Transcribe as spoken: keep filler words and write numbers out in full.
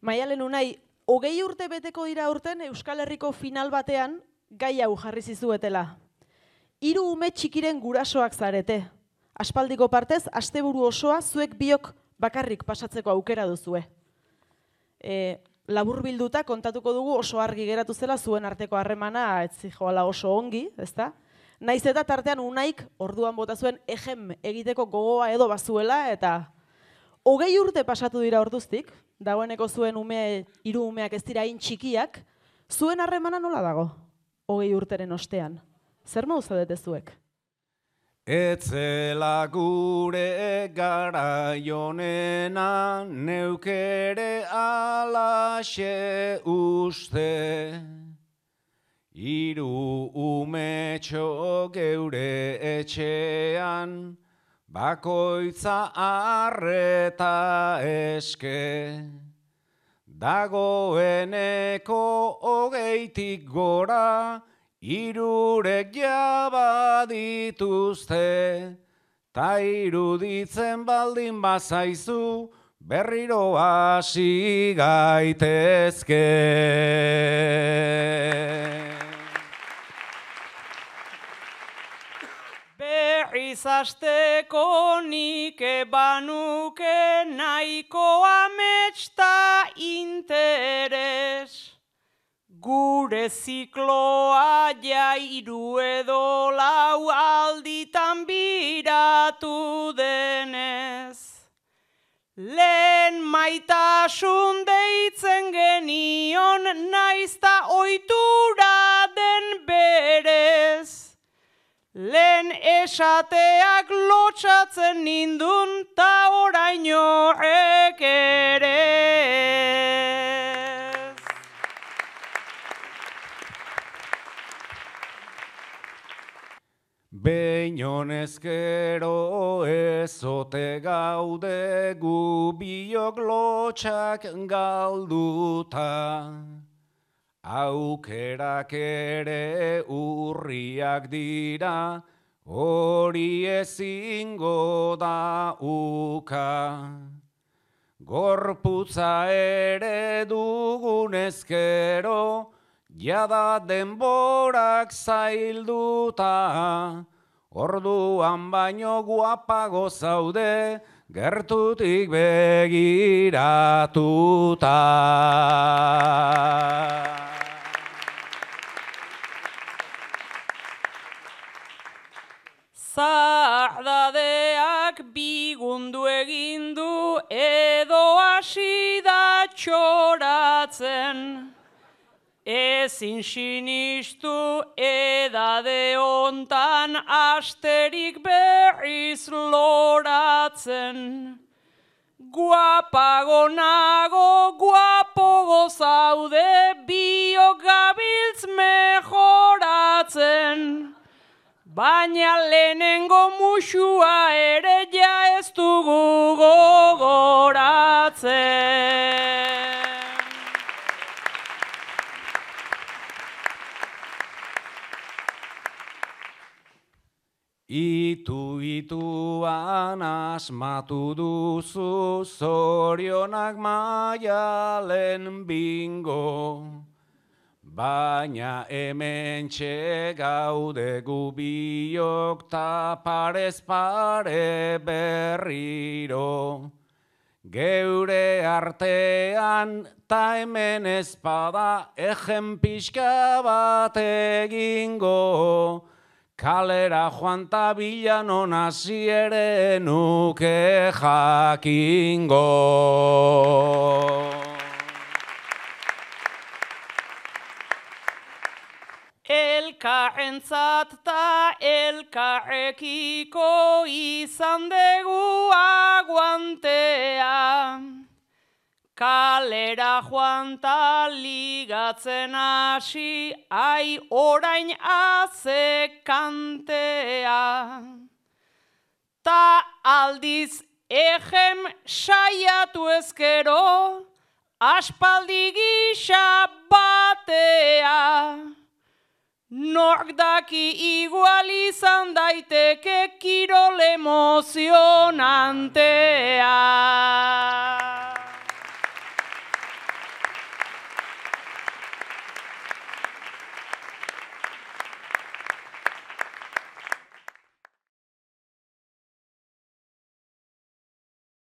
Maialen Unai, hogei urte beteko dira urten Euskal Herriko final batean gai hau jarri zizuetela. Hiru ume txikiren gurasoak zarete. Aspaldiko partez, asteburu osoa zuek biok bakarrik pasatzeko aukera duzue. E, labur bilduta kontatuko dugu oso argi geratu zela zuen arteko harremana ez zijoala oso ongi, ezta? Naiz eta tartean Unaik orduan bota zuen ejem egiteko gogoa edo bazuela eta hogei urte pasatu dira orduztik, dagoeneko zuen ume, hiru umeak ez dira hain txikiak, zuen harremana nola dago? Hogei urteren ostean. Zer modu zaudete zuek? Etzela gure garaionena, neukere alaxe uste. Hiru umetxo geure etxean, bakoitza arreta eske. Dagoeneko hogeitik gora, hirurek jaba dituzte, ta iruditzen baldin bazaizu, berriro hasi gaitezke. Berriz hasteko nik banuke nahiko amets ta interes. Gure zikloa jairu edo lau alditan biratu denez. Lehen maitasun deitzen genion naizta ohitura den berez. Lehen esateak lotsatzen nindun ta oraino ekerez. Behin honezkero ezote gaude gu biok lotxak galduta. Aukerak ere urriak dira, hori ezingo da uka. Gorputza ere dugunezkero, jada denborak zailduta. Orduan baino guapago zaude, gertutik begiratuta. Zardadeak bigundu egin du edo hasi da txoratzen. Ezin sinistu edade hontan asterik berriz loratzen. Guapago nago, guapogo zaude, biok gabiltz mejoratzen. Baina lehenengo musua ere ja ez dugu gogoratzen. Itu-ituan asmatu duzu zorionak Maialen bingo. Baina hementxe gaude gu biok ta parez pare berriro. Geure artean ta hemen ezpada egen pixka bat egingo. Kalera joan ta bilanon hasi ere nuke jakingo. Elkarrentzat ta elkarrekiko izan dugu aguantea. Kalera joan ta ligatzen hasi, ai orain azekantea. Ta aldiz ejem saiatu ezkero, aspaldi gisa batea. Nork daki igual izan daiteke kirol emozionantea.